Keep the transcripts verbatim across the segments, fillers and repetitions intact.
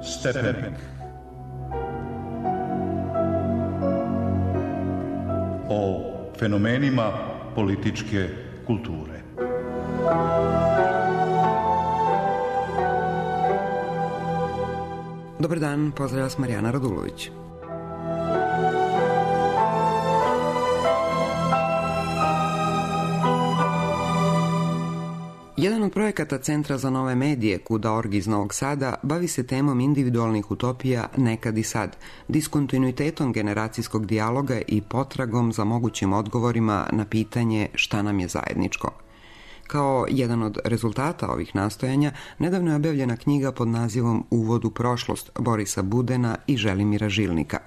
Stepenik. O fenomenima političke kulture. Dobar dan, pozdrav vas Marijana Radulović. Jedan od projekata Centra za nove medije Q D O R G iz Novog Sada bavi se temom individualnih utopija nekad i sad, diskontinuitetom generacijskog dijaloga i potragom za mogućim odgovorima na pitanje šta nam je zajedničko. Kao jedan od rezultata ovih nastojanja, nedavno je objavljena knjiga pod nazivom Uvod u prošlost Borisa Budena i Želimira Žilnika.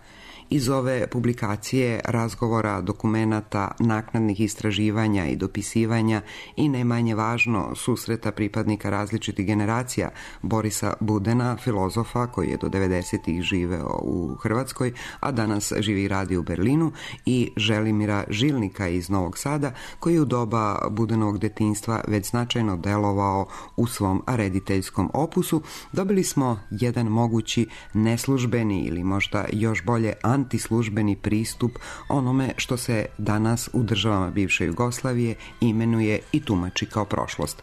Iz ove publikacije, razgovora, dokumenata, naknadnih istraživanja i dopisivanja i ne manje važno susreta pripadnika različitih generacija Borisa Budena, filozofa koji je do devedesetih živeo u Hrvatskoj, a danas živi i radi u Berlinu, i Želimira Žilnika iz Novog Sada, koji je u doba Budenovog detinjstva već značajno delovao u svom rediteljskom opusu, dobili smo jedan mogući neslužbeni ili možda još bolje antislužbeni pristup onome što se danas u državama bivše Jugoslavije imenuje i tumači kao prošlost.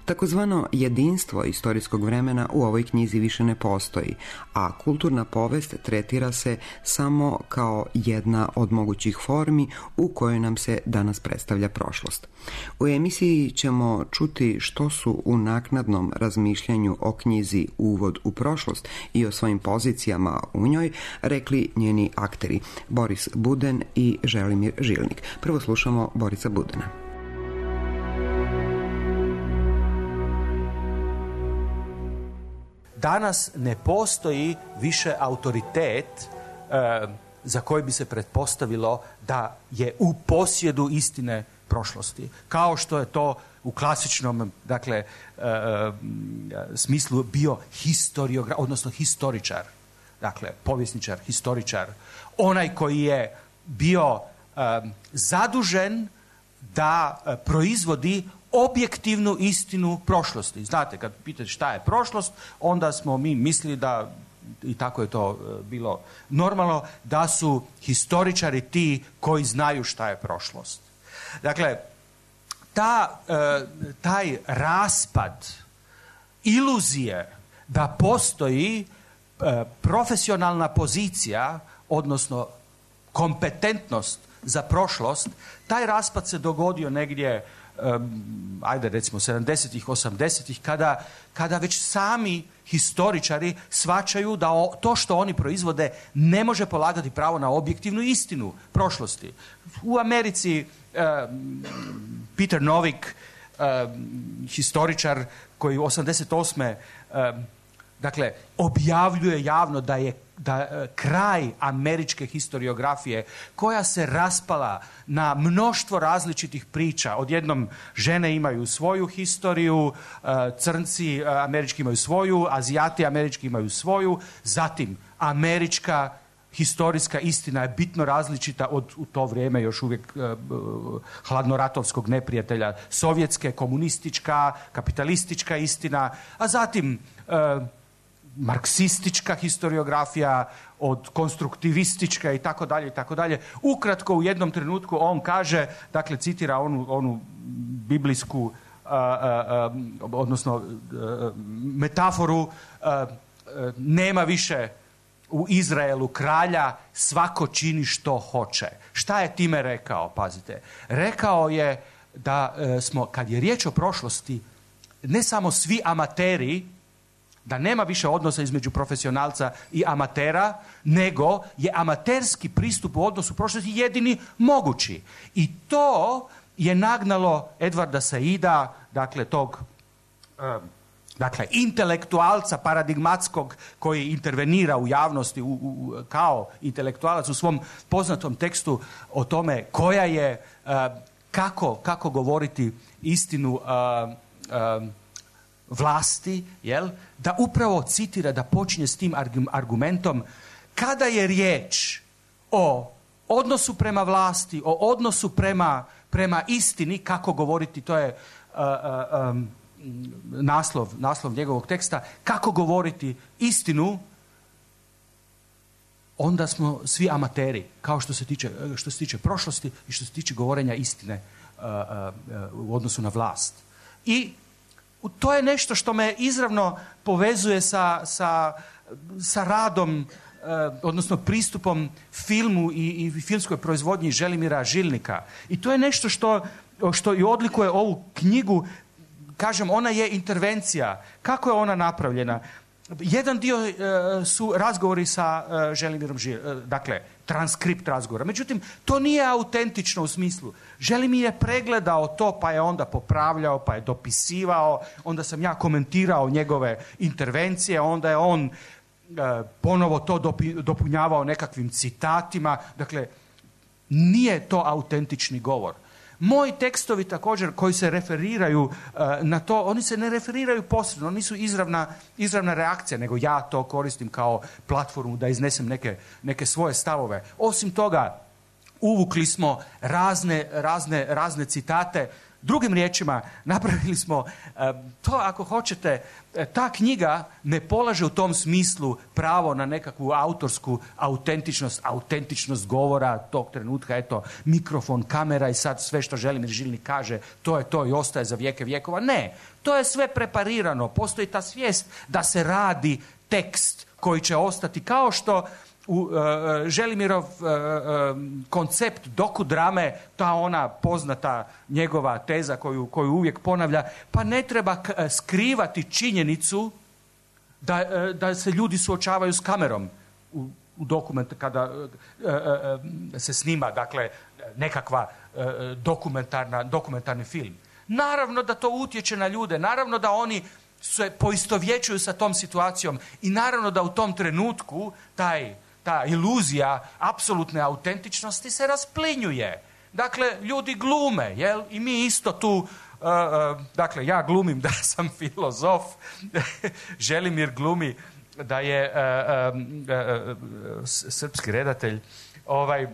Takozvano jedinstvo istorijskog vremena u ovoj knjizi više ne postoji, a kulturna povest tretira se samo kao jedna od mogućih formi u kojoj nam se danas predstavlja prošlost. U emisiji ćemo čuti što su u naknadnom razmišljanju o knjizi Uvod u prošlost i o svojim pozicijama u njoj rekli njeni akteri Boris Buden i Želimir Žilnik. Prvo slušamo Borisa Budena. Danas ne postoji više autoritet e, za koji bi se pretpostavilo da je u posjedu istine prošlosti. Kao što je to u klasičnom, dakle, e, e, smislu bio historiograf, odnosno historičar. Dakle, povjesničar, historičar. Onaj koji je bio e, zadužen da e, proizvodi objektivnu istinu prošlosti. Znate, kad pitate šta je prošlost, onda smo mi mislili da, i tako je to bilo normalno, da su historičari ti koji znaju šta je prošlost. Dakle, ta, taj raspad iluzije da postoji profesionalna pozicija, odnosno kompetentnost za prošlost, taj raspad se dogodio negdje Um, ajde recimo sedamdesetih, osamdesetih, kada, kada već sami historičari shvaćaju da o, to što oni proizvode ne može polagati pravo na objektivnu istinu prošlosti. U Americi um, Peter Novik, um, historičar koji u osamdeset osme Um, dakle, objavljuje javno da je da kraj američke historiografije, koja se raspala na mnoštvo različitih priča. Odjednom žene imaju svoju historiju, crnci američki imaju svoju, Azijati američki imaju svoju, zatim američka historijska istina je bitno različita od u to vrijeme još uvijek uh, hladnoratovskog neprijatelja, sovjetske, komunistička, kapitalistička istina, a zatim uh, marksistička historiografija, od konstruktivistička i tako dalje i tako dalje. Ukratko, u jednom trenutku on kaže, dakle citira onu, onu biblijsku uh, uh, uh, odnosno uh, metaforu, uh, uh, nema više u Izraelu kralja, svako čini što hoće. Šta je time rekao? Pazite. Rekao je da uh, smo, kad je riječ o prošlosti, ne samo svi amateri, da nema više odnosa između profesionalca i amatera, nego je amaterski pristup u odnosu prošlosti jedini mogući. I to je nagnalo Edvarda Saida, dakle tog um, dakle intelektualca paradigmatskog koji intervenira u javnosti u, u, kao intelektualac u svom poznatom tekstu o tome koja je, uh, kako, kako govoriti istinu uh, uh, vlasti, jel, da upravo citira, da počinje s tim argumentom: kada je riječ o odnosu prema vlasti, o odnosu prema, prema istini, kako govoriti, to je uh, uh, um, naslov, naslov njegovog teksta, kako govoriti istinu, onda smo svi amateri, kao što se tiče, što se tiče prošlosti i što se tiče govorenja istine uh, uh, u odnosu na vlast. I to je nešto što me izravno povezuje sa, sa, sa radom, uh, odnosno pristupom filmu i, i filmskoj proizvodnji Želimira Žilnika. I to je nešto što, što i odlikuje ovu knjigu. Kažem, ona je intervencija. Kako je ona napravljena? Jedan dio uh, su razgovori sa uh, Želimirom Žil, uh, dakle, transkript razgovora. Međutim, to nije autentično u smislu. Želimir je pregledao to, pa je onda popravljao, pa je dopisivao, onda sam ja komentirao njegove intervencije, onda je on uh, ponovo to dopi, dopunjavao nekakvim citatima. Dakle, nije to autentični govor. Moji tekstovi također koji se referiraju uh, na to, oni se ne referiraju posredno, oni su izravna, izravna reakcija, nego ja to koristim kao platformu da iznesem neke, neke svoje stavove. Osim toga, uvukli smo razne, razne, razne citate. Drugim riječima, napravili smo uh, to, ako hoćete, ta knjiga ne polaže u tom smislu pravo na nekakvu autorsku autentičnost, autentičnost govora tog trenutka, eto, mikrofon, kamera i sad sve što Želimir Žilnik kaže, to je to i ostaje za vijeke vjekova. Ne, to je sve preparirano. Postoji ta svijest da se radi tekst koji će ostati, kao što u uh, Želimirov uh, uh, koncept dokudrame, ta ona poznata njegova teza koju, koju uvijek ponavlja, pa ne treba k- skrivati činjenicu da, uh, da se ljudi suočavaju s kamerom u, u dokumentu kada uh, uh, uh, se snima, dakle, nekakva uh, dokumentarna, dokumentarni film. Naravno da to utječe na ljude, naravno da oni se poistovjećuju sa tom situacijom i naravno da u tom trenutku taj ta iluzija apsolutne autentičnosti se rasplinjuje. Dakle, ljudi glume, jel? I mi isto tu, uh, uh, dakle, ja glumim da sam filozof, Želimir glumi da je uh, uh, uh, srpski redatelj. Ovaj,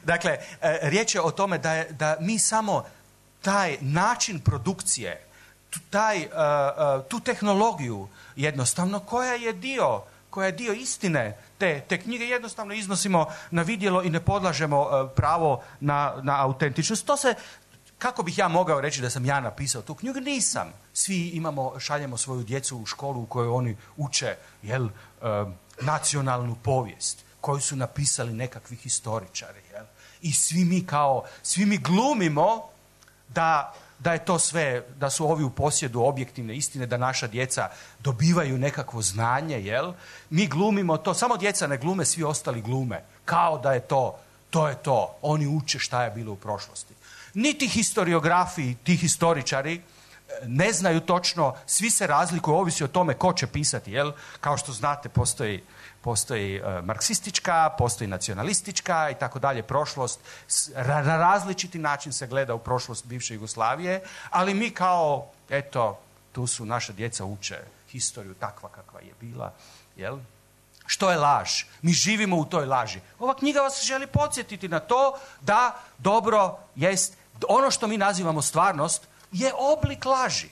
dakle, uh, riječ je o tome da, je, da mi samo taj način produkcije, tu, taj, uh, uh, tu tehnologiju jednostavno koja je dio koja je dio istine te, te knjige, jednostavno iznosimo na vidjelo i ne podlažemo uh, pravo na, na autentičnost. To se, kako bih ja mogao reći da sam ja napisao tu knjigu? Nisam. Svi imamo, šaljemo svoju djecu u školu u kojoj oni uče, jel, uh, nacionalnu povijest, koju su napisali nekakvi historičari, jel? I svi mi kao, svi mi glumimo da da je to sve, da su ovi u posjedu objektivne istine, da naša djeca dobivaju nekakvo znanje, jel? Mi glumimo to, samo djeca ne glume, svi ostali glume. Kao da je to, to je to. Oni uče šta je bilo u prošlosti. Niti historiografi, ti historičari ne znaju točno, svi se razlikuju, ovisi o tome ko će pisati, jel? Kao što znate, postoji Postoji uh, marksistička, postoji nacionalistička i tako dalje prošlost. Na različiti način se gleda u prošlost bivše Jugoslavije, ali mi kao, eto, tu su naša djeca uče historiju takva kakva je bila, jel? Što je laž? Mi živimo u toj laži. Ova knjiga vas želi podsjetiti na to da dobro jest, ono što mi nazivamo stvarnost je oblik laži.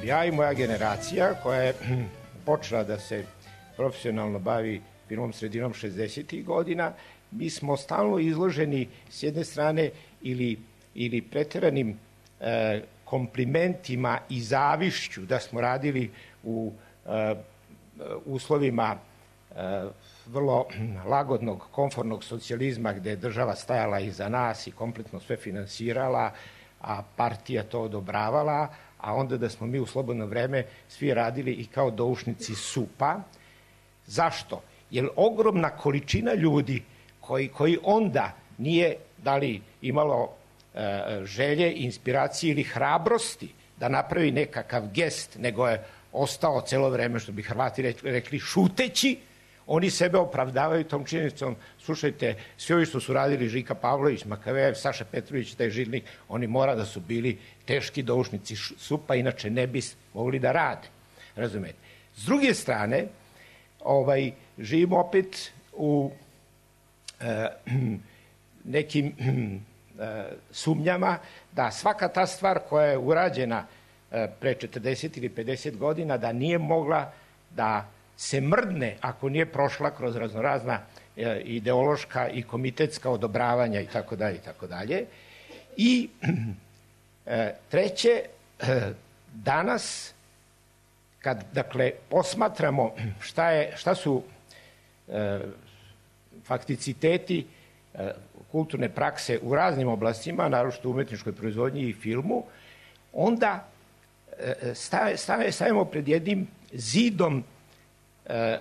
Ja i moja generacija koja je počela da se profesionalno bavi filmom sredinom šezdesetih godina, mi smo stalno izloženi s jedne strane ili, ili pretjeranim e, komplimentima i zavišću da smo radili u uslovima vrlo lagodnog, komfortnog socijalizma gde je država stajala iza nas i kompletno sve finansirala, a partija to odobravala, a onda da smo mi u slobodno vreme svi radili i kao doušnici supa. Zašto? Jer ogromna količina ljudi koji, koji onda nije da li imalo e, želje, inspiracije ili hrabrosti da napravi nekakav gest, nego je ostao celo vreme, što bi Hrvati rekli, šuteći, oni sebe opravdavaju tom činjenicom. Slušajte, svi ovi što su radili, Žika Pavlović, Makavejev, Saša Petrović, taj Žilnik, oni mora da su bili teški doušnici supa, inače ne bi mogli da rade. Razumete? S druge strane, ovaj, živimo opet u e, nekim e, sumnjama da svaka ta stvar koja je urađena e, pre četrdeset ili pedeset godina, da nije mogla da se mrdne ako nije prošla kroz raznorazna e, ideološka i komitetska odobravanja i tako dalje i tako dalje. I e, treće, e, danas kad, dakle, posmatramo šta, je, šta su e, fakticiteti e, kulturne prakse u raznim oblastima, naročito u umetničkoj proizvodnji i filmu, onda e, stave, stave, stavimo pred jednim zidom e,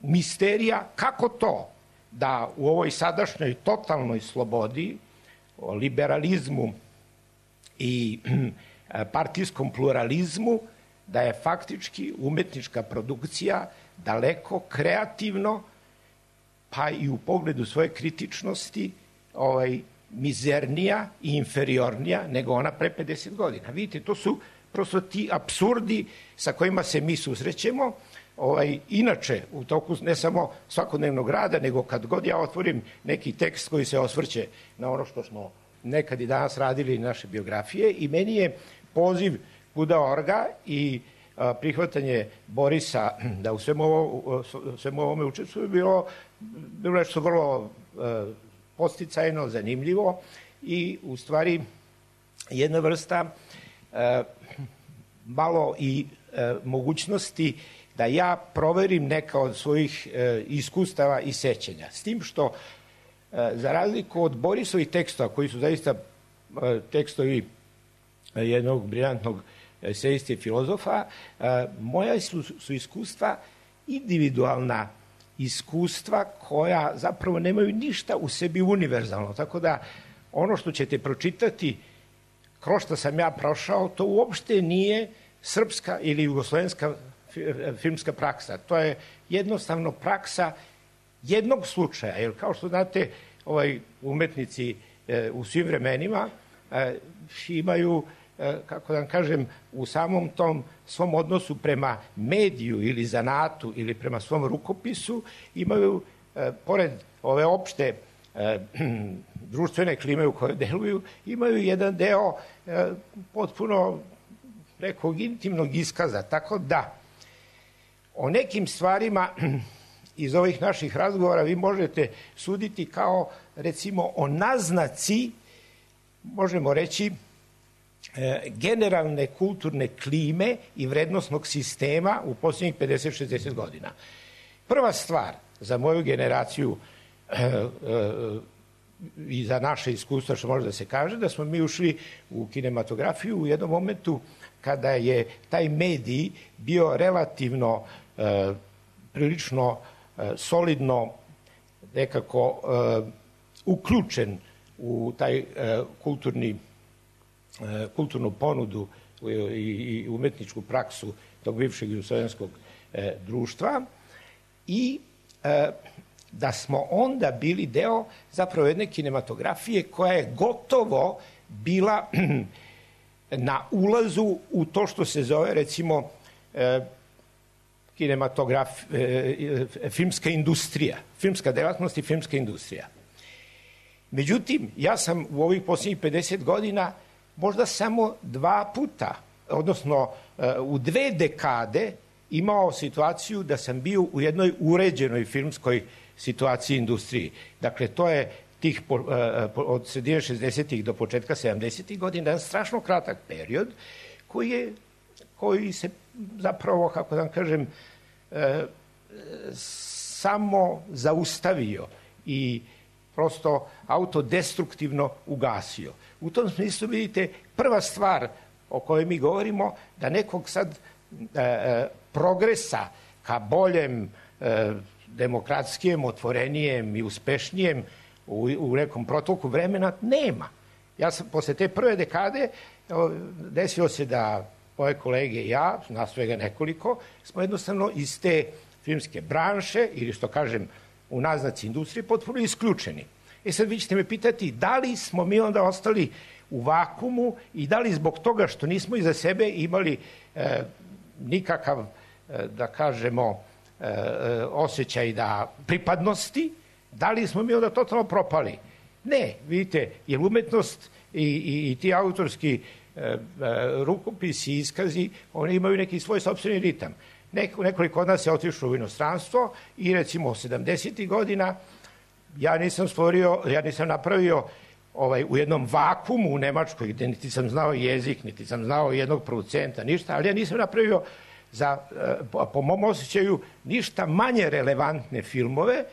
misterija kako to da u ovoj sadašnjoj totalnoj slobodi, liberalizmu i e, partijskom pluralizmu, da je faktički umetnička produkcija daleko kreativno, pa i u pogledu svoje kritičnosti, ovaj, mizernija i inferiornija nego ona pre pedeset godina. Vidite, to su prosto ti apsurdi sa kojima se mi susrećemo. Ovaj, inače, u toku ne samo svakodnevnog rada, nego kad god ja otvorim neki tekst koji se osvrće na ono što smo nekad i danas radili naše biografije, i meni je poziv Kuda Orga i a, prihvatanje Borisa da u svemu, ovo, svemu ovome učestvuje bilo, bilo nešto vrlo a, posticajno, zanimljivo i u stvari jedna vrsta a, malo i a, mogućnosti da ja proverim neka od svojih a, iskustava i sećanja. S tim što a, za razliku od Borisovih tekstova, koji su zaista a, tekstovi jednog briljantnog esejiste i filozofa, moja su, su iskustva individualna iskustva koja zapravo nemaju ništa u sebi univerzalno. Tako da ono što ćete pročitati, kroz što sam ja prošao, to uopšte nije srpska ili jugoslovenska filmska praksa. To je jednostavno praksa jednog slučaja. Jer kao što znate, ovaj, umetnici e, u svim vremenima e, imaju, kako da vam kažem, u samom tom svom odnosu prema mediju ili zanatu ili prema svom rukopisu imaju, e, pored ove opšte e, društvene klime u kojoj deluju, imaju jedan deo e, potpuno nekog intimnog iskaza. Tako da o nekim stvarima iz ovih naših razgovora vi možete suditi kao, recimo, o naznaci, možemo reći, generalne kulturne klime i vrednosnog sistema u posljednjih pedeset šezdeset godina. Prva stvar za moju generaciju e, e, i za naše iskustva, što može da se kaže, da smo mi ušli u kinematografiju u jednom momentu kada je taj medij bio relativno e, prilično e, solidno nekako e, uključen u taj e, kulturni kulturnu ponudu i umetničku praksu tog bivšeg jugoslovenskog društva i da smo onda bili deo zapravo jedne kinematografije koja je gotovo bila na ulazu u to što se zove, recimo, kinematograf, filmska industrija, filmska delatnost i filmska industrija. Međutim, ja sam u ovih posljednjih pedeset godina možda samo dva puta, odnosno u dve dekade, imao situaciju da sam bio u jednoj uređenoj filmskoj situaciji industriji. Dakle, to je tih od sredine šezdesetih do početka sedamdesetih godina, jedan strašno kratak period koji je koji se zapravo, kako da vam kažem, e, samo zaustavio i prosto autodestruktivno ugasio. U tom smislu, vidite, prva stvar o kojoj mi govorimo, da nekog sad e, progresa ka boljem, e, demokratskijem, otvorenijem i uspešnijem u, u nekom protoku vremena nema. Ja sam, posle te prve dekade, desilo se da moje kolege i ja, nas svega nekoliko, smo jednostavno iz te filmske branše, ili što kažem, u naznaci industrije, potpuno isključeni. E sad vi ćete me pitati da li smo mi onda ostali u vakumu i da li zbog toga što nismo iza sebe imali e, nikakav, e, da kažemo, e, osjećaj da pripadnosti, da li smo mi onda totalno propali? Ne, vidite, jer umetnost i, i, i ti autorski e, e, rukopisi i iskazi, oni imaju neki svoj sopstveni ritam. Neko, nekoliko od nas je otišlo u inostranstvo i recimo sedamdesetih godina ja nisam stvorio, ja nisam napravio ovaj, u jednom vakumu u Nemačkoj gde niti sam znao jezik, niti sam znao jednog producenta, ništa, ali ja nisam napravio za, po mom osjećaju, ništa manje relevantne filmove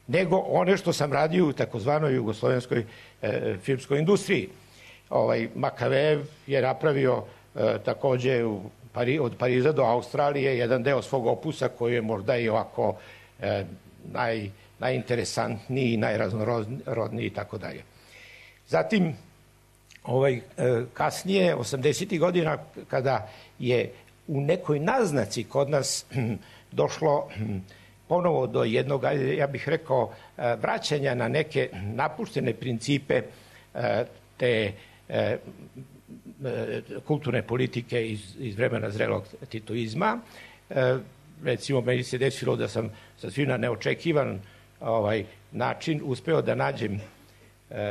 nego one što sam radio u takozvanoj jugoslovenskoj e, filmskoj industriji. Ovaj, Makavejev je napravio e, takođe u Pari, od Pariza do Australije jedan deo svog opusa koji je možda i ovako e, naj, najinteresantniji, najraznorodniji i tako dalje. Zatim, ovaj, e, kasnije, osamdesetih godina, kada je u nekoj naznaci kod nas hm, došlo hm, ponovo do jednog, ja bih rekao, vraćanja na neke napuštene principe te kulturne politike iz, iz vremena zrelog titoizma. Recimo, meni se desilo da sam sasvim na neočekivan ovaj, način uspeo da nađem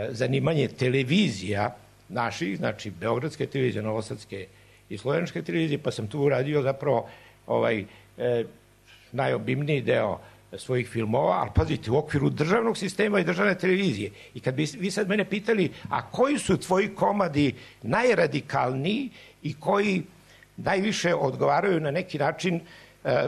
zanimanje televizija naših, znači Beogradske televizije, Novosadske i Slovenske televizije, pa sam tu uradio zapravo ovaj, najobimniji deo svojih filmova, ali pazite, u okviru državnog sistema i državne televizije. I kad bi vi sad mene pitali, a koji su tvoji komadi najradikalniji i koji najviše odgovaraju na neki način eh,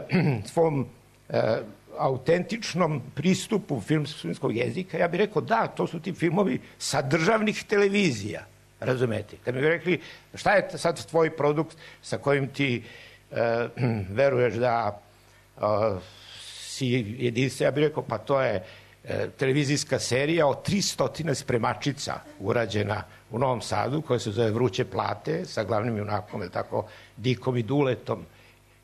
svom eh, autentičnom pristupu filmskog jezika, ja bih rekao da, to su ti filmovi sa državnih televizija, razumete? Kad mi bi rekli, šta je sad tvoj produkt sa kojim ti eh, veruješ da Uh, si jedinstvo, ja bih rekao, pa to je e, televizijska serija o tristo spremačica urađena u Novom Sadu, koja se zove Vruće plate, sa glavnim junakom, je tako, Dikom i Duletom,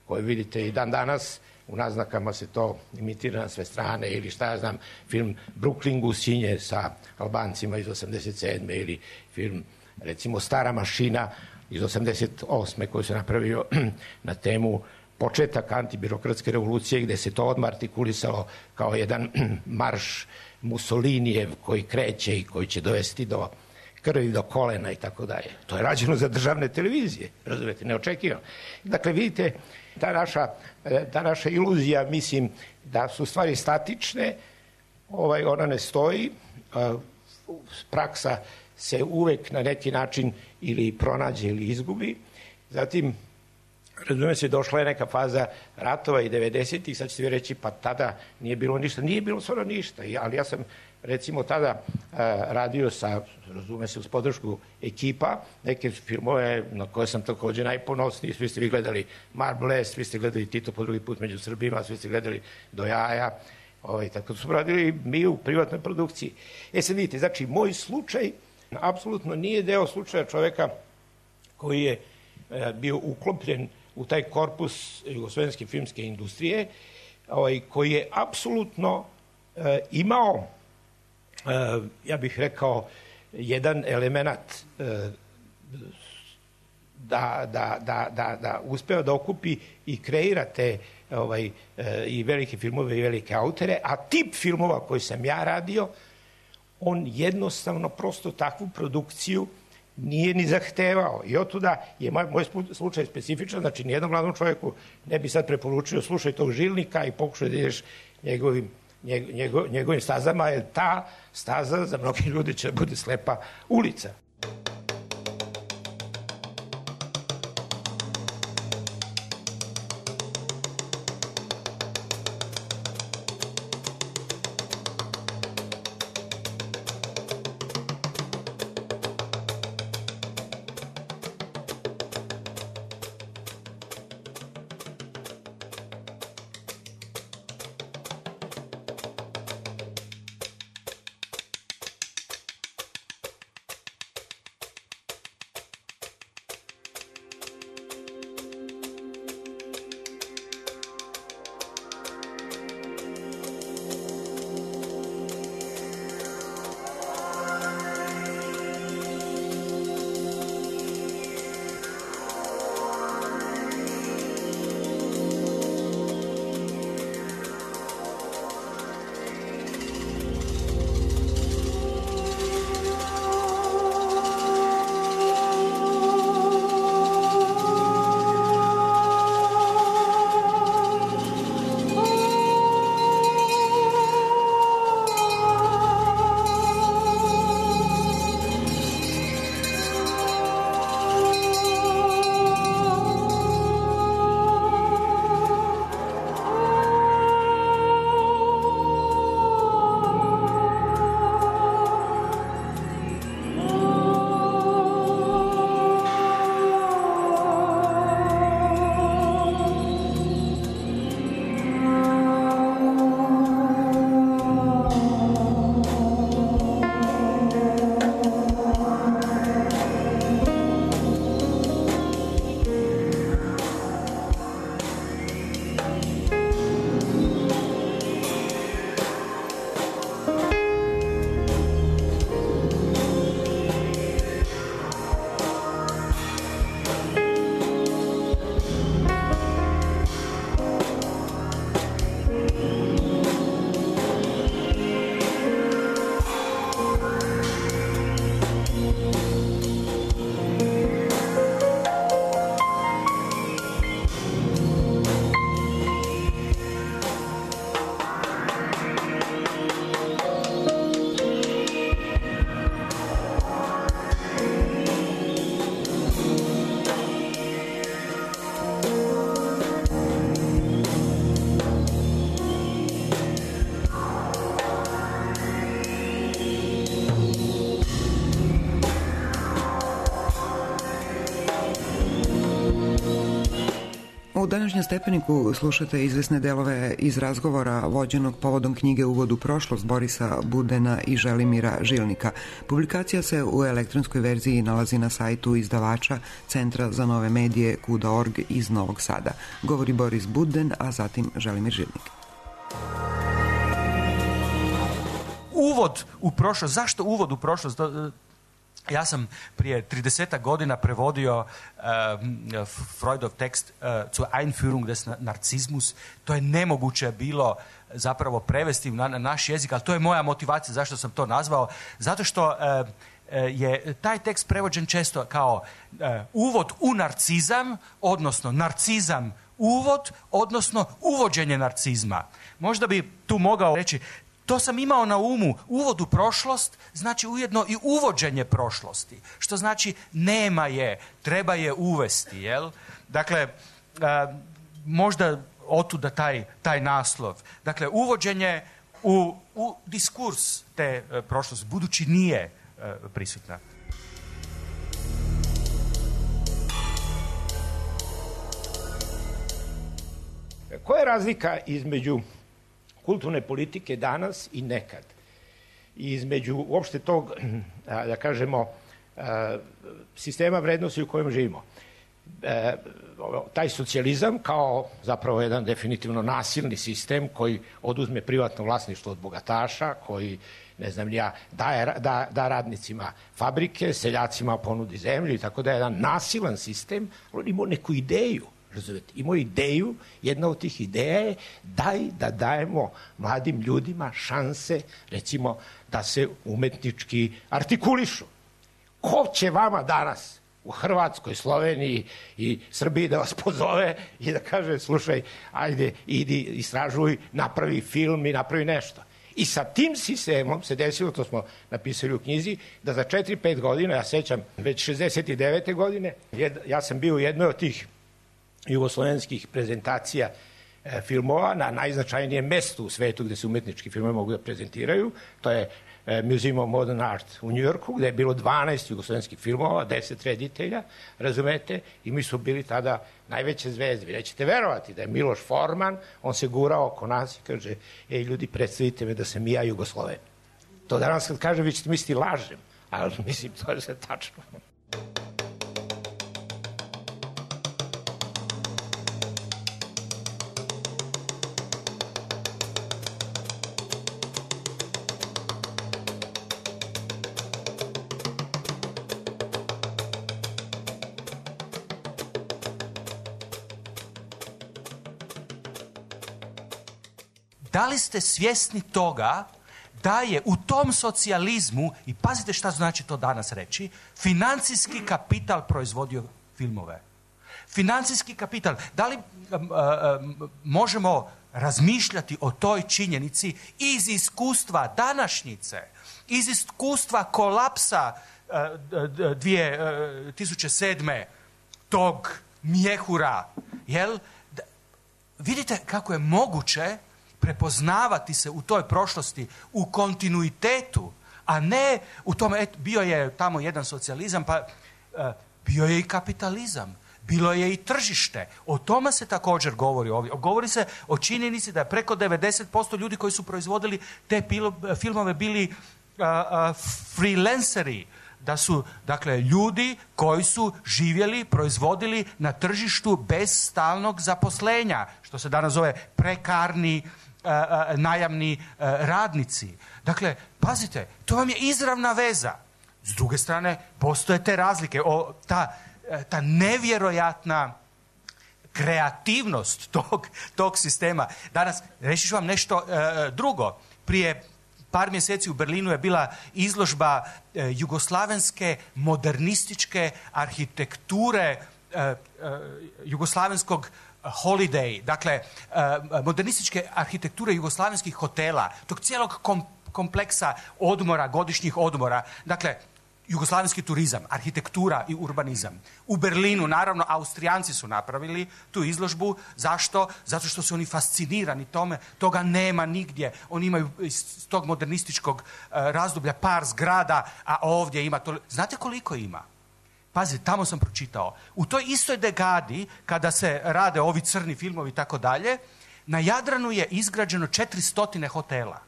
koji vidite i dan danas, u naznakama se to imitira na sve strane, ili šta ja znam, film Brooklyn Gusinje sa Albancima iz osamdeset sedme ili film, recimo, Stara mašina iz osamdeset osme koji se napravio na temu početak antibirokratske revolucije, gde se to odmah artikulisalo kao jedan marš Mussolinijev koji kreće i koji će dovesti do krvi, do kolena i tako dalje. To je rađeno za državne televizije, razumete, neočekivano. Dakle, vidite, ta naša, ta naša iluzija, mislim, da su stvari statične, ovaj, ona ne stoji, praksa se uvek na neki način ili pronađe ili izgubi. Zatim, razume se, došla je neka faza ratova i devedesetih, sad ćete vi reći, pa tada nije bilo ništa. Nije bilo stvarno ništa, ali ja sam, recimo, tada uh, radio sa, razume se, uz podršku ekipa, neke filmove na koje sam takođe najponosniji. Svi ste vi gledali Marble, svi ste gledali Tito po drugi put među Srbima, svi ste gledali Do jaja, ovaj, tako smo radili mi u privatnoj produkciji. E sad vidite, znači, moj slučaj apsolutno nije deo slučaja čoveka koji je uh, bio uklopljen u taj korpus jugoslovenske filmske industrije, ovaj, koji je apsolutno e, imao, e, ja bih rekao, jedan element e, da, da, da, da, da uspeo da okupi i kreira te ovaj, e, i velike filmove i velike autore, a tip filmova koji sam ja radio, on jednostavno prosto takvu produkciju nije ni zahtevao. I otuda je moj, moj slučaj specifičan, znači nijednom mladom čovjeku ne bi sad preporučio slušaj tog Žilnika i pokušaj da ideš njegovim, njego, njegovim stazama, jer ta staza za mnogi ljudi će bude slepa ulica. današnjem Stepeniku slušate izvesne delove iz razgovora vođenog povodom knjige Uvod u prošlost Borisa Budena i Želimira Žilnika. Publikacija se u elektronskoj verziji nalazi na sajtu izdavača Centra za nove medije kuda tačka org iz Novog Sada. Govori Boris Buden, a zatim Želimir Žilnik. Uvod u prošlost. Zašto uvod u prošlost? Ja sam prije tridesetak godina prevodio uh, Freudov tekst uh, zur Einführung des Narzissmus. To je nemoguće bilo zapravo prevesti na, na naš jezik, ali to je moja motivacija zašto sam to nazvao. Zato što uh, je taj tekst prevođen često kao uh, uvod u narcizam, odnosno narcizam uvod, odnosno uvođenje narcizma. Možda bi tu mogao reći, to sam imao na umu, uvod u prošlost znači ujedno i uvođenje prošlosti, što znači nema je, treba je uvesti, jel? Dakle, a, možda otuda taj, taj naslov. Dakle, uvođenje u, u diskurs te a, prošlosti, budući nije a, prisutna. Koja je razlika između kulturne politike danas i nekad? I između uopšte tog, da kažemo, sistema vrednosti u kojem živimo. Taj socijalizam kao zapravo jedan definitivno nasilni sistem koji oduzme privatno vlasništvo od bogataša, koji, ne znam ja, daje, da, da radnicima fabrike, seljacima ponudi zemlju i tako da je jedan nasilan sistem, on ima neku ideju. Razumete, imao ideju, jedna od tih ideja je daj da dajemo mladim ljudima šanse, recimo, da se umetnički artikulišu. Ko će vama danas u Hrvatskoj, Sloveniji i Srbiji da vas pozove i da kaže, slušaj, ajde, idi, istražuj, napravi film i napravi nešto. I sa tim sistemom se desilo, to smo napisali u knjizi, da za četiri pet godina, ja sećam, već šezdeset devete godine, ja sam bio u jednoj od tih jugoslovenskih prezentacija e, filmova na najznačajnijem mestu u svetu gde se umetnički filmovi mogu da prezentiraju. To je e, Museum of Modern Art u Njujorku, gde je bilo dvanaest jugoslovenskih filmova, deset reditelja, razumete, i mi su bili tada najveće zvezde. Vi nećete verovati da je Miloš Forman, on se gurao oko nas i kaže, ej ljudi, predstavite me da sam i ja Jugosloven. To danas kad kažem, vi ćete misliti lažem, ali mislim, to je sve tačno. Da li ste svjesni toga da je u tom socijalizmu, i pazite šta znači to danas reći, financijski kapital proizvodio filmove? Financijski kapital. Da li um, um, možemo razmišljati o toj činjenici iz iskustva današnjice, iz iskustva kolapsa uh, dvije tisuće sedme tog mjehura, jel? Da, vidite kako je moguće prepoznavati se u toj prošlosti, u kontinuitetu, a ne u tome, et, bio je tamo jedan socijalizam, pa uh, bio je i kapitalizam, bilo je i tržište. O tome se također govori ovdje. Govori se o činjenici da je preko devedeset posto ljudi koji su proizvodili te pilo, filmove bili uh, uh, freelanceri, da su, dakle, ljudi koji su živjeli, proizvodili na tržištu bez stalnog zaposlenja, što se danas zove prekarni Uh, uh, najamni uh, radnici. Dakle, pazite, to vam je izravna veza. S druge strane, postoje te razlike. O, ta, uh, ta nevjerojatna kreativnost tog, tog sistema. Danas, reći ću vam nešto uh, drugo. Prije par mjeseci u Berlinu je bila izložba uh, jugoslavenske modernističke arhitekture uh, uh, jugoslavenskog holiday, dakle, modernističke arhitekture jugoslavenskih hotela, tog cijelog kom, kompleksa odmora, godišnjih odmora, dakle, jugoslavenski turizam, arhitektura i urbanizam. U Berlinu, naravno, Austrijanci su napravili tu izložbu. Zašto? Zato što su oni fascinirani tome. Toga nema nigdje. Oni imaju iz tog modernističkog razdoblja par zgrada, a ovdje ima to. Znate koliko ima? Pazi, tamo sam pročitao. U toj istoj dekadi, kada se rade ovi crni filmovi i tako dalje, na Jadranu je izgrađeno četiristo hotela.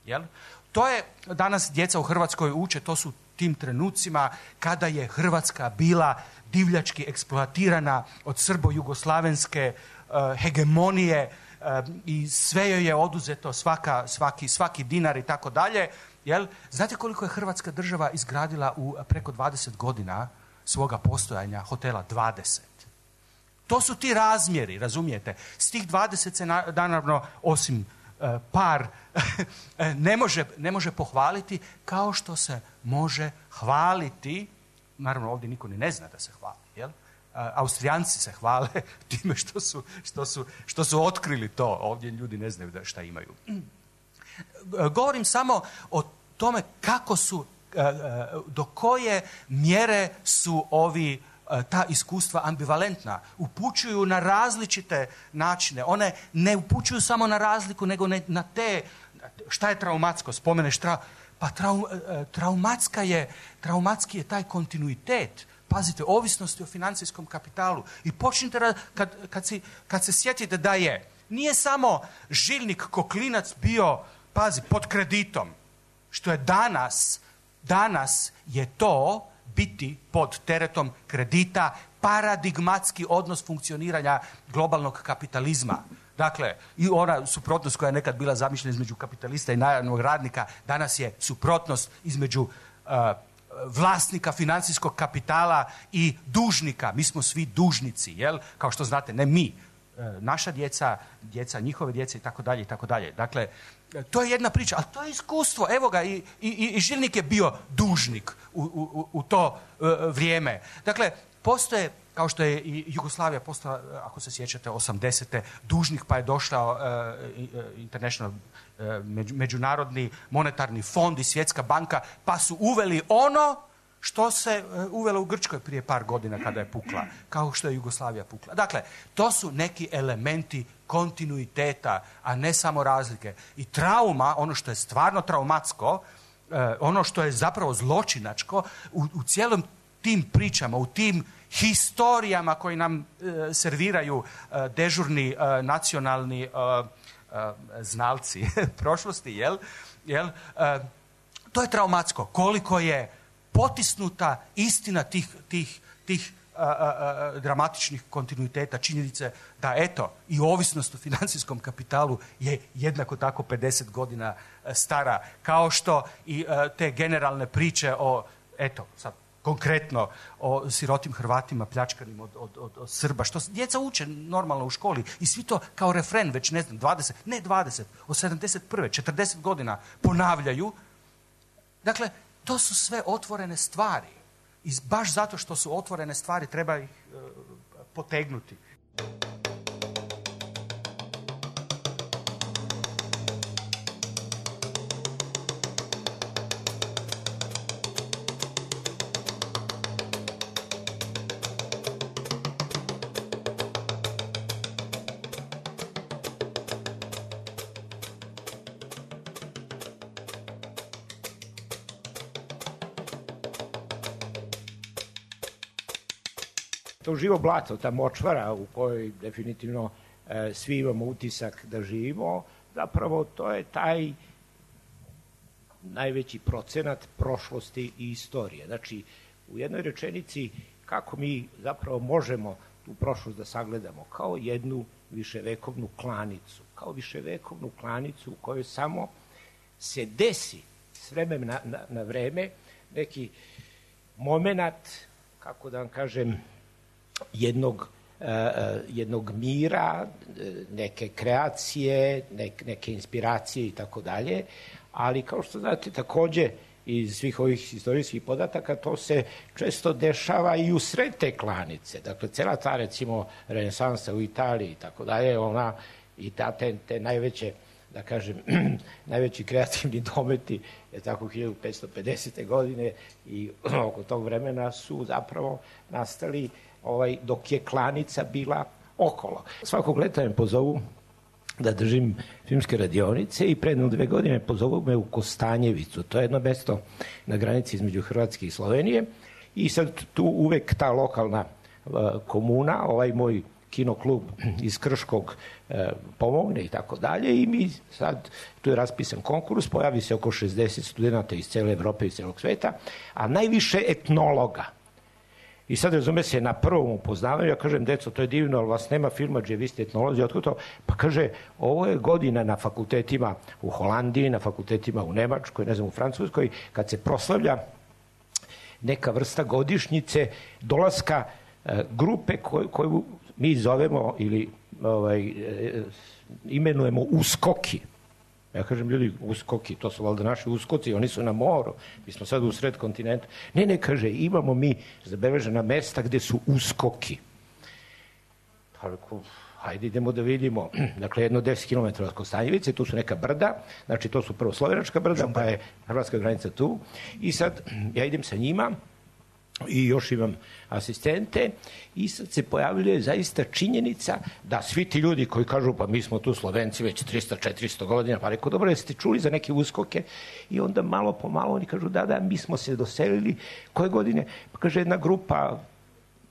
Jel? To je, danas djeca u Hrvatskoj uče, to su tim trenucima kada je Hrvatska bila divljački eksploatirana od srbo-jugoslavenske uh, hegemonije uh, i sve joj je oduzeto, svaka, svaki, svaki dinar i tako dalje. Jel? Znate koliko je Hrvatska država izgradila u preko dvadeset godina svoga postojanja hotela? dvadeset. To su ti razmjeri, razumijete? S tih dvadeset se na, naravno, osim uh, par, ne, može, ne može pohvaliti, kao što se može hvaliti, naravno ovdje niko ni ne zna da se hvali, jel? Uh, Austrijanci se hvale time što su, što, su, što su otkrili to, ovdje ljudi ne znaju da šta imaju. Govorim samo o tome kako su, do koje mjere su ovi, ta iskustva ambivalentna. Upućuju na različite načine. One ne upućuju samo na razliku, nego na te, šta je traumatsko, spomeneš, tra, pa trau, traumatska je, traumatski je taj kontinuitet. Pazite, ovisnosti o financijskom kapitalu. I počnite, kad, kad, si, kad se sjetite da je, nije samo Žilnik Koklinac bio, pazi, pod kreditom, što je danas, danas je to biti pod teretom kredita paradigmatski odnos funkcioniranja globalnog kapitalizma. Dakle, i ona suprotnost koja je nekad bila zamišljena između kapitalista i najamnog radnika, danas je suprotnost između uh, vlasnika financijskog kapitala i dužnika. Mi smo svi dužnici, jel? Kao što znate, ne mi, naša djeca, djeca njihove djece i tako dalje i tako dalje. Dakle, to je jedna priča, ali to je iskustvo. Evo ga, i, i, i Žilnik je bio dužnik u, u, u to uh, vrijeme. Dakle, postoje, kao što je i Jugoslavija postala, ako se sjećate, osamdesete dužnik, pa je došao uh, International uh, međunarodni monetarni fond i Svjetska banka, pa su uveli ono što se uh, uvelo u Grčkoj prije par godina kada je pukla, kao što je Jugoslavija pukla. Dakle, to su neki elementi kontinuiteta, a ne samo razlike. I trauma, ono što je stvarno traumatsko, uh, ono što je zapravo zločinačko, u, u cijelom tim pričama, u tim historijama koji nam e, serviraju e, dežurni e, nacionalni e, e, znalci prošlosti, jel? Jel? E, to je traumatsko. Koliko je potisnuta istina tih, tih, tih a, a, a, dramatičnih kontinuiteta, činjenice da, eto, i ovisnost o financijskom kapitalu je jednako tako pedeset godina stara, kao što i a, te generalne priče o, eto, sad, konkretno o sirotim Hrvatima pljačkanim od, od, od, od Srba, što djeca uče normalno u školi i svi to kao refren već, ne znam, dvadeset, ne dvadeset, od sedamdeset prve, četrdeset godina ponavljaju. Dakle, to su sve otvorene stvari i baš zato što su otvorene stvari treba ih uh, potegnuti. To živo blato, ta močvara u kojoj definitivno e, svi imamo utisak da živimo, zapravo to je taj najveći procenat prošlosti i istorije. Znači, u jednoj rečenici kako mi zapravo možemo tu prošlost da sagledamo kao jednu viševekovnu klanicu, kao viševekovnu klanicu u kojoj samo se desi s vremena na, na, na vreme neki moment, kako da vam kažem, jednog, uh, jednog mira, neke kreacije, nek, neke inspiracije i tako dalje, ali kao što znate takođe iz svih ovih istorijskih podataka to se često dešava i u sred te klanice. Dakle, cela ta recimo renesansa u Italiji i tako dalje, ona i ta, te, te najveće, da kažem, najveći kreativni dometi je tako hiljadu petsto pedesete godine i oko tog vremena su zapravo nastali ovaj, dok je klanica bila okolo. Svakog leta me pozovu da držim filmske radionice i predno dve godine pozovu me u Kostanjevicu. To je jedno mesto na granici između Hrvatske i Slovenije I sad tu uvek ta lokalna komuna, ovaj moj kinoklub iz Krškog e, pomogne i tako dalje i mi sad, tu je raspisan konkurs, pojavi se oko šezdeset studenta iz cele Evrope i celog sveta, a najviše etnologa. I sad razume se, na prvom upoznavanju, ja kažem, deco, to je divno, ali vas nema filmadže, vi ste etnolozi, otko to? Pa kaže, ovo je godina na fakultetima u Holandiji, na fakultetima u Nemačkoj, ne znam, u Francuskoj, kad se proslavlja neka vrsta godišnjice dolaska e, grupe koju, koju mi zovemo ili ovaj, e, imenujemo uskoki. Ja kažem, ljudi, uskoki, to su valjda naši uskoci, oni su na moru, mi smo sad u sred kontinenta. Ne, ne, kaže, imamo mi zabeležena mesta gde su uskoki. Pa rekao, hajde idemo da vidimo. Dakle, jedno deset kilometara od Kostanjevice, tu su neka brda, znači to su prvo slovenačka brda, pa je hrvatska granica tu. I sad ja idem sa njima, i još imam asistente i sad se pojavljuje zaista činjenica da svi ti ljudi koji kažu pa mi smo tu Slovenci već trista četiristo godina, pa rekao dobro jeste čuli za neke uskoke i onda malo po malo oni kažu da da mi smo se doselili koje godine, pa kaže jedna grupa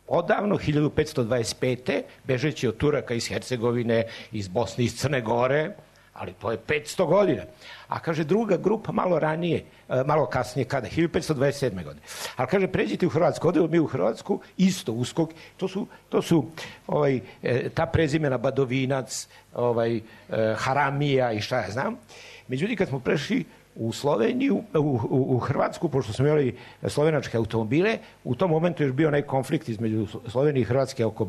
odavno, hiljadu petsto dvadeset pete bežeći od Turaka iz Hercegovine, iz Bosne, iz Crne Gore, ali to je petsto godina. A kaže druga grupa malo ranije, malo kasnije, kada? hiljadu petsto dvadeset sedme godine. Ali kaže, pređite u Hrvatsku, odemo mi u Hrvatsku, isto uskok, to su, to su ovaj, ta prezimena Badovinac, ovaj, Haramija i šta ja znam. Međutim, kad smo prešli u Sloveniju, u, u, u Hrvatsku, pošto smo imali slovenačke automobile, u tom momentu je bio onaj konflikt između Slovenije i Hrvatske oko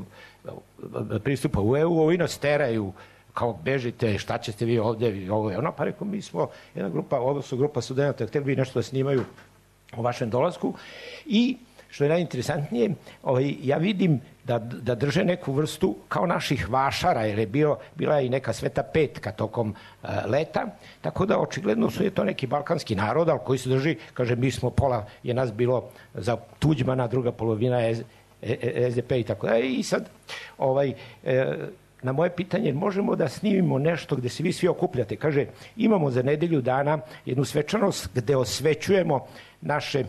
pristupa u E U, ovi nas teraju kao bežite, šta ćete vi ovde, ovo je ono, pa rekao, mi smo jedna grupa, ovo su grupa studenta, htjeli bi nešto da snimaju o vašem dolasku i, što je najinteresantnije, ovaj, ja vidim da, da drže neku vrstu kao naših vašara, jer je bio, bila i neka sveta petka tokom uh, leta, tako da očigledno su je to neki balkanski narod, ali koji se drži, kaže, mi smo pola, je nas bilo za Tuđmana, druga polovina je S D P i tako da, i sad, ovaj, e, na moje pitanje, možemo da snimimo nešto gde se vi svi okupljate. Kaže, imamo za nedelju dana jednu svečanost gde osvećujemo naše, e,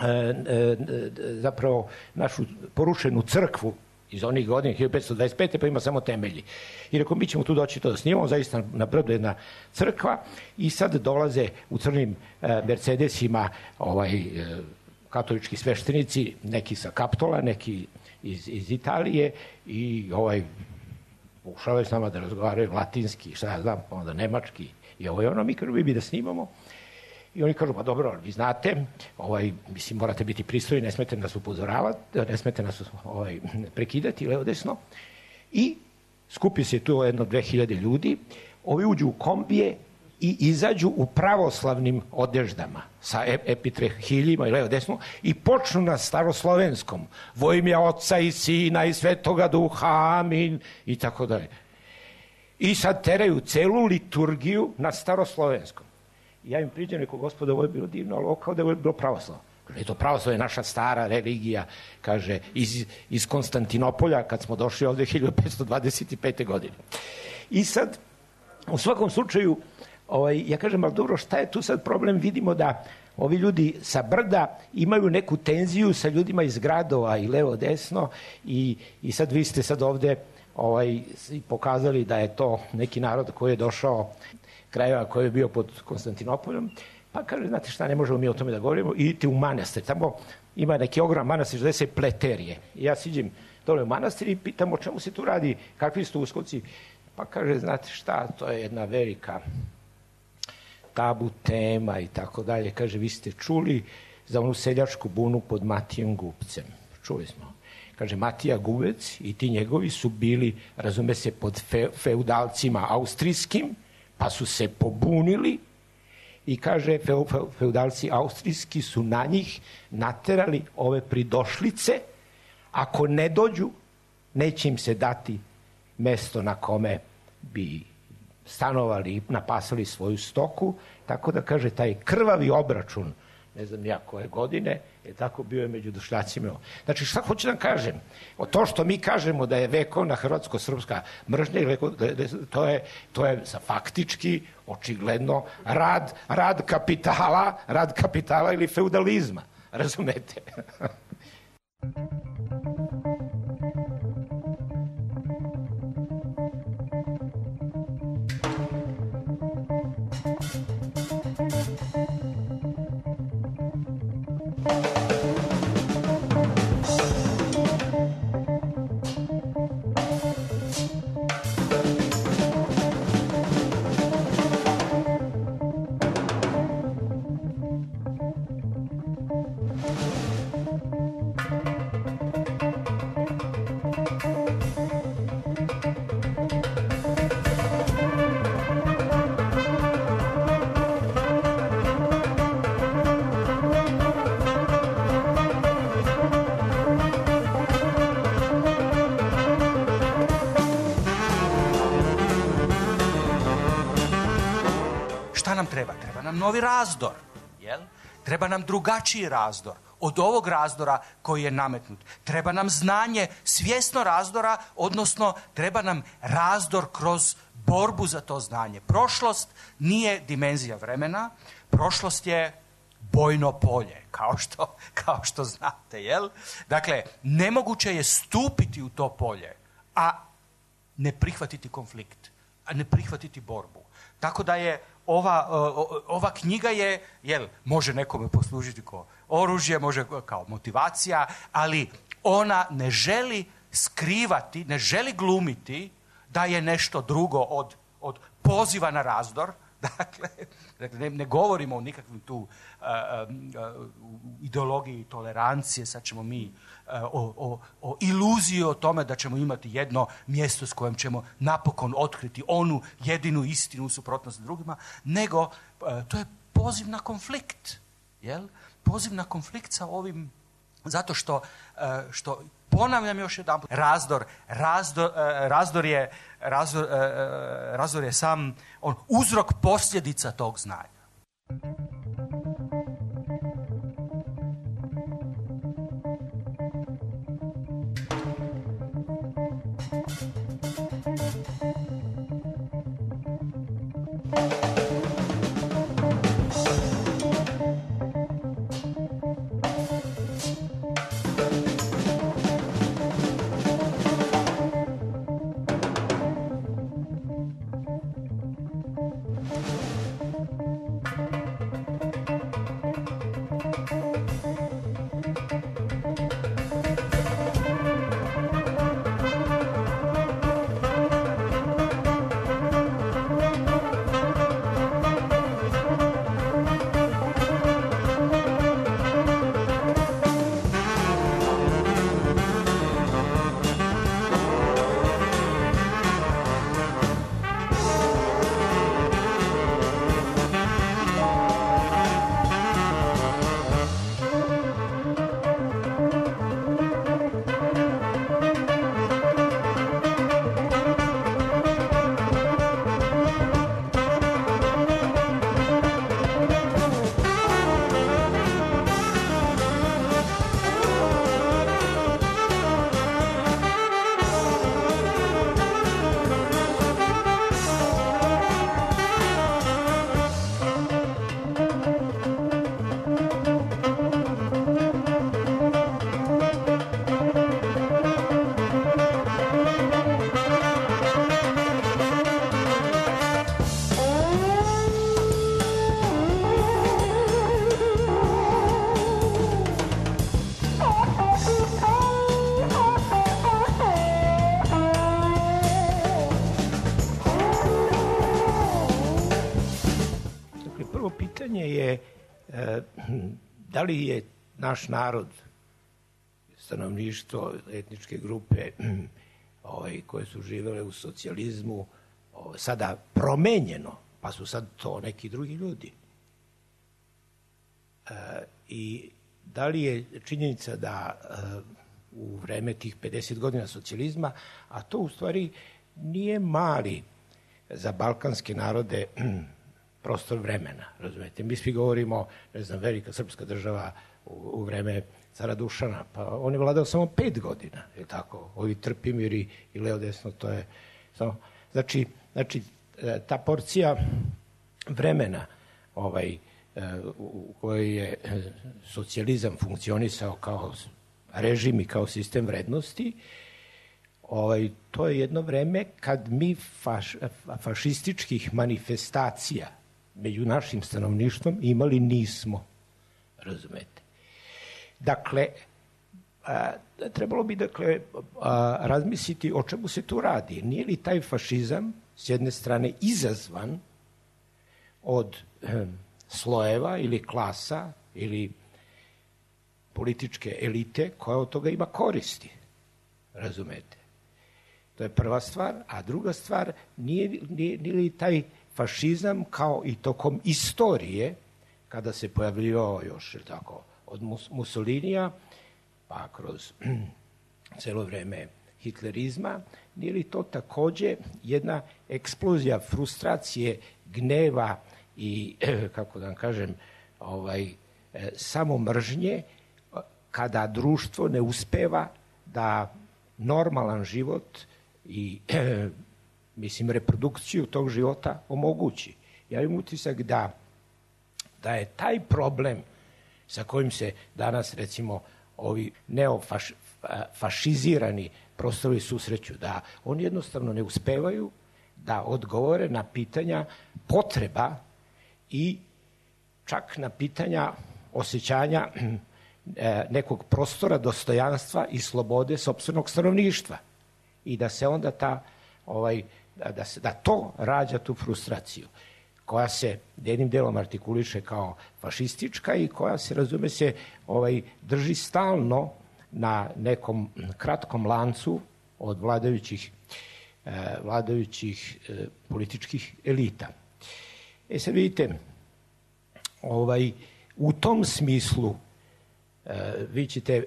e, zapravo, našu porušenu crkvu iz onih godina, hiljadu petsto dvadeset pete pa ima samo temelji. I rekao, mi ćemo tu doći to da snimamo, zaista na brdu jedna crkva i sad dolaze u crnim e, Mercedesima ovaj, e, katolički sveštenici, neki sa Kaptola, neki iz, iz Italije i ovaj pokušavaju s nama da razgovaraju latinski, šta ja znam, pa onda nemački i ovo je ono, mi kažu, vi bi da snimamo. I oni kažu, pa dobro, vi znate, ovaj, mislim, morate biti pristojni, ne smete nas upozoravati, ne smete nas ovaj, prekidati, levo desno. I skupi se tu jedno dve hiljade ljudi, ovi uđu u kombije i izađu u pravoslavnim odeždama sa epitrahiljima i levo desno i počnu na staroslovenskom vo ime Oca i Sina i Svetoga Duha, amin i tako dalje. I sad teraju celu liturgiju na staroslovenskom. I ja im priđem, rekao, gospode, ovo je bilo divno, ali ovo kao da je bilo pravoslavno. Kaže, to pravoslavno je naša stara religija, kaže, iz, iz Konstantinopolja, kad smo došli ovde hiljadu petsto dvadeset pete godine. I sad, u svakom slučaju, Ovaj, ja kažem, ali dobro, šta je tu sad problem? Vidimo da ovi ljudi sa brda imaju neku tenziju sa ljudima iz gradova i levo desno i, i sad vi ste sad ovde ovaj, pokazali da je to neki narod koji je došao krajeva koji je bio pod Konstantinopoljom, pa kaže, znate šta, ne možemo mi o tome da govorimo, idite u manastir, tamo ima neki ogrom manastir, zove se Pleterije. I ja siđem dole u manastir i pitam o čemu se tu radi, kakvi su tu uskoci, pa kaže, znate šta, to je jedna velika tabu tema i tako dalje. Kaže, vi ste čuli za onu seljačku bunu pod Matijem Gubcem. Čuli smo. Kaže, Matija Gubec i ti njegovi su bili, razume se, pod fe, feudalcima austrijskim, pa su se pobunili i kaže, fe, fe, feudalci austrijski su na njih naterali ove pridošlice, ako ne dođu, neće im se dati mesto na kome bi stanovali i napasali svoju stoku, tako da kaže taj krvavi obračun, ne znam ja koje godine, je tako bio je među došljacima. Znači šta hoću da kažem? O to što mi kažemo da je vekovna hrvatsko-srpska mržnja, to je, to je za faktički, očigledno, rad, rad kapitala, rad kapitala ili feudalizma. razumete. Šta nam treba? Treba nam novi razdor, jel? Treba nam drugačiji razdor od ovog razdora koji je nametnut. Treba nam znanje, svjesno razdora, odnosno treba nam razdor kroz borbu za to znanje. Prošlost nije dimenzija vremena, prošlost je bojno polje, kao što, kao što znate, jel? Dakle, nemoguće je stupiti u to polje, a ne prihvatiti konflikt, a ne prihvatiti borbu. Tako da je ova, ova knjiga je, jel, može nekome poslužiti kao oružje, može kao motivacija, ali ona ne želi skrivati, ne želi glumiti da je nešto drugo od, od poziva na razdor. Dakle, ne, ne govorimo o nikakvim tu uh, uh, ideologiji tolerancije, sad ćemo mi uh, o, o, o iluziji o tome da ćemo imati jedno mjesto s kojim ćemo napokon otkriti onu jedinu istinu u suprotnosti s drugima, nego uh, to je poziv na konflikt, jel? Poziv na konflikt sa ovim, zato što, uh, što ponavljam još jedanput, razdor, razdor, uh, razdor je Razdor, razdor je sam on, uzrok posljedica tog znanja. Je da li je naš narod, stanovništvo, etničke grupe ovaj, koje su živele u socijalizmu ovaj, sada promenjeno, pa su sad to neki drugi ljudi. E, I da li je činjenica da e, u vreme tih pedeset godina socijalizma, a to u stvari nije mali za balkanske narode prostor vremena, razumete. Mi svi govorimo, ne znam, velika srpska država u, u vreme cara Dušana, pa on je vladao samo pet godina, je tako, ovi Trpimiri i levo desno, to je samo, znači, znači ta porcija vremena ovaj, u kojoj je socijalizam funkcionisao kao režim i kao sistem vrednosti, ovaj, to je jedno vreme kad mi faš, fašističkih manifestacija među našim stanovništvom imali nismo, razumete. Dakle, a, trebalo bi dakle a, razmisliti o čemu se tu radi. Nije li taj fašizam s jedne strane izazvan od eh, slojeva ili klasa ili političke elite koja od toga ima koristi, razumete. To je prva stvar, a druga stvar, nije, nije, nije li taj fašizam kao i tokom istorije, kada se pojavljivao još, tako, od Mussolinija, pa kroz celo vreme hitlerizma, nije li to takođe jedna eksplozija frustracije, gneva i, kako da vam kažem, ovaj, samo mržnje, kada društvo ne uspeva da normalan život i, mislim, reprodukciju tog života omogući. Ja imam utisak da, da je taj problem sa kojim se danas, recimo, ovi neofašizirani prostorovi susreću, da oni jednostavno ne uspevaju da odgovore na pitanja potreba i čak na pitanja osjećanja nekog prostora, dostojanstva i slobode sopstvenog stanovništva. I da se onda ta, ovaj, da, se, da to rađa tu frustraciju, koja se jednim delom artikuliše kao fašistička i koja se, razume se, ovaj, drži stalno na nekom kratkom lancu od vladajućih, eh, vladajućih eh, političkih elita. E sad vidite, ovaj, u tom smislu eh, vi ćete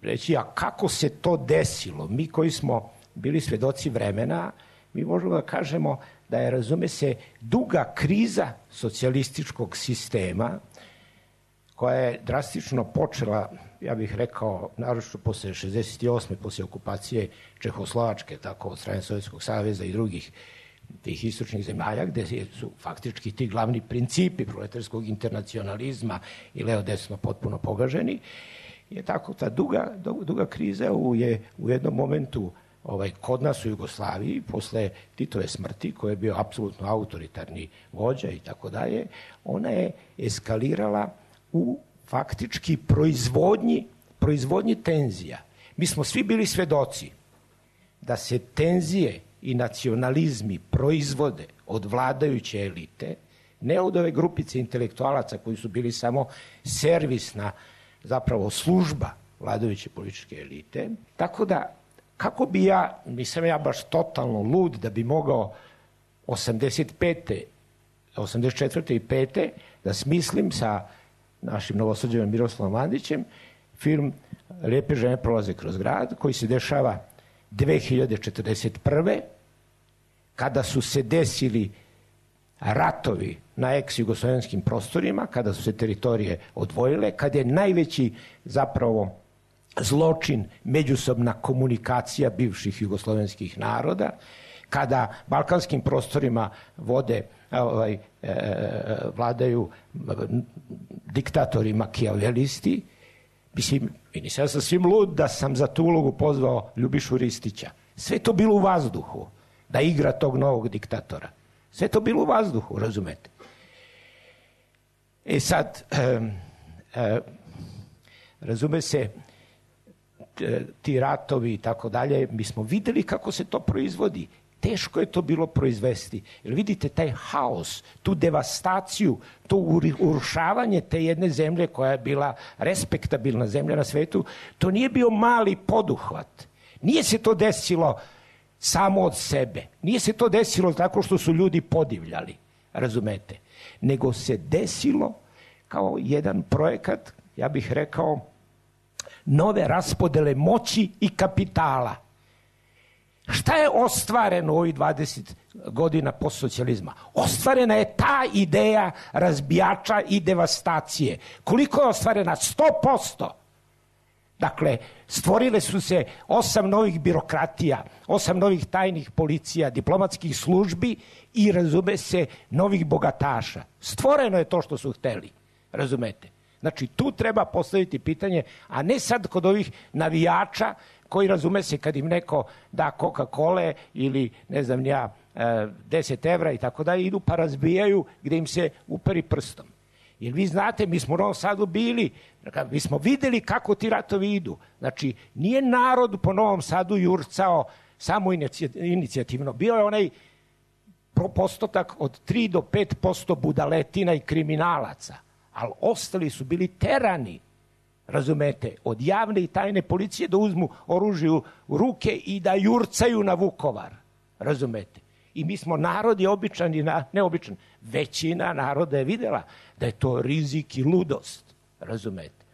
reći, a kako se to desilo? Mi koji smo bili svedoci vremena, mi možemo da kažemo da je, razume se, duga kriza socijalističkog sistema, koja je drastično počela, ja bih rekao, naročito posle šezdeset osme posle okupacije Čehoslovačke, tako od strane Sovjetskog saveza i drugih tih istočnih zemalja, gde su faktički ti glavni principi proletarskog internacionalizma i leo-desno potpuno pogaženi, je tako ta duga, duga kriza je u jednom momentu ovaj, kod nas u Jugoslaviji, posle Titove smrti, koji je bio apsolutno autoritarni vođa i tako dalje, ona je eskalirala u faktički proizvodnji, proizvodnji tenzija. Mi smo svi bili svedoci da se tenzije i nacionalizmi proizvode od vladajuće elite, ne od ove grupice intelektualaca koji su bili samo servisna, zapravo služba vladajuće političke elite. Tako da, kako bi ja, nisam ja baš totalno lud da bi mogao osamdeset pete, osamdeset četvrte i pete da smislim sa našim novosađenim Miroslavom Mandićem film Lijepe žene prolaze kroz grad, koji se dešava dve hiljade četrdeset prve kada su se desili ratovi na ex-jugoslovenskim prostorima, kada su se teritorije odvojile, kada je najveći zapravo zločin međusobna komunikacija bivših jugoslovenskih naroda, kada balkanskim prostorima vode, ovaj, e, vladaju diktatori makijavelisti. Mislim, nisam sa svim lud da sam za tu ulogu pozvao Ljubišu Ristića. Sve to bilo u vazduhu, da igra tog novog diktatora. Sve to bilo u vazduhu, razumete? E sad, e, e, razume se, ti ratovi i tako dalje, mi smo videli kako se to proizvodi. Teško je to bilo proizvesti. Jer vidite taj haos, tu devastaciju, to urušavanje te jedne zemlje koja je bila respektabilna zemlja na svetu, to nije bio mali poduhvat. Nije se to desilo samo od sebe. Nije se to desilo tako što su ljudi podivljali, razumete? Nego se desilo kao jedan projekat, ja bih rekao, nove raspodele moći i kapitala. Šta je ostvareno u ovih dvadeset godina postsocijalizma? Ostvarena je ta ideja razbijača i devastacije. Koliko je ostvarena? sto posto. Dakle, stvorile su se osam novih birokratija, osam novih tajnih policija, diplomatskih službi i, razume se, novih bogataša. Stvoreno je to što su hteli, razumete? Znači, tu treba postaviti pitanje, a ne sad kod ovih navijača koji, razume se, kad im neko da Coca-Cola ili, ne znam ja, deset evra i tako da, idu pa razbijaju gde im se uperi prstom. Jer vi znate, mi smo u Novom Sadu bili, mi smo videli kako ti ratovi idu. Znači, nije narod po Novom Sadu jurcao samo inicijativno. Bio je onaj postotak od tri do pet posto budaletina i kriminalaca, ali ostali su bili terani, razumete, od javne i tajne policije da uzmu oružje u ruke i da jurcaju na Vukovar, razumete. I mi smo, narod je običan i neobičan. Većina naroda je videla da je to rizik i ludost, razumete.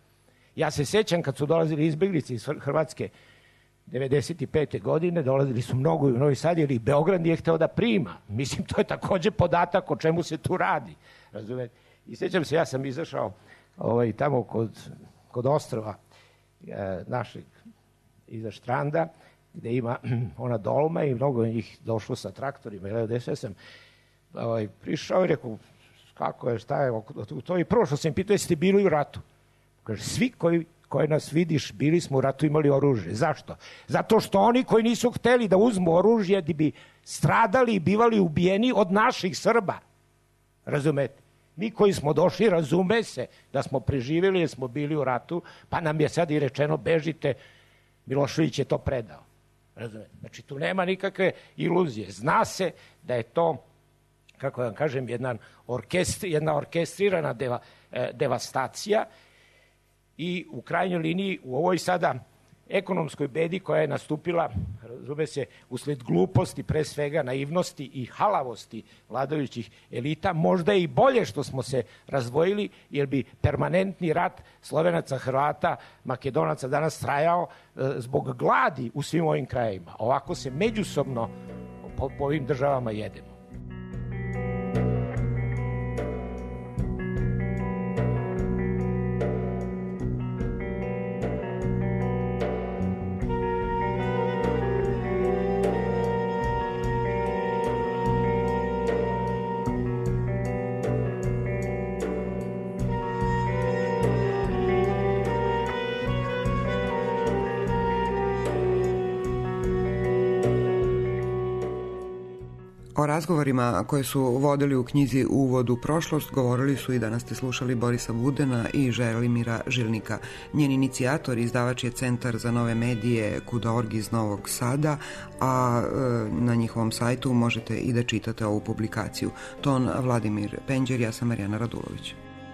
Ja se sećam kad su dolazili izbeglice iz Hrvatske devedeset pete godine, dolazili su mnogo u Novi Sad, jer i Beograd nije hteo da prima. Mislim, to je takođe podatak o čemu se tu radi, razumete. I sećam se, ja sam izašao ovaj, tamo kod, kod ostrva e, našeg, iza Štranda, gde ima ona dolma i mnogo je njih došlo sa traktorima. Ja sam ovaj, prišao i rekao, kako je, šta je to? I prvo što sam pitao, jeste bili u ratu? Kaže, svi koji, koji nas vidiš, bili smo u ratu, imali oružje. Zašto? Zato što oni koji nisu hteli da uzmu oružje, da bi stradali i bivali ubijeni od naših Srba. Razumete? Mi koji smo došli, razume se da smo preživjeli jer smo bili u ratu, pa nam je sad i rečeno, bežite, Milošević je to predao. Razumete? Znači, tu nema nikakve iluzije. Zna se da je to, kako vam kažem, jedna, orkestri, jedna orkestrirana deva, eh, devastacija i u krajnjoj liniji u ovoj sada ekonomskoj bedi koja je nastupila, razume se, usled gluposti, pre svega naivnosti i halavosti vladajućih elita, možda je i bolje što smo se razdvojili, jer bi permanentni rat Slovenaca, Hrvata, Makedonaca danas trajao e, zbog gladi u svim ovim krajevima. Ovako se međusobno po, po ovim državama jedemo. O razgovorima koje su vodili u knjizi Uvod u prošlost govorili su i danas ste slušali Borisa Budena i Želimira Žilnika. Njen inicijator i izdavač je Centar za nove medije Kuda org iz Novog Sada, a na njihovom sajtu možete i da čitate ovu publikaciju. Ton Vladimir Penđer, ja sam Marijana Radulović.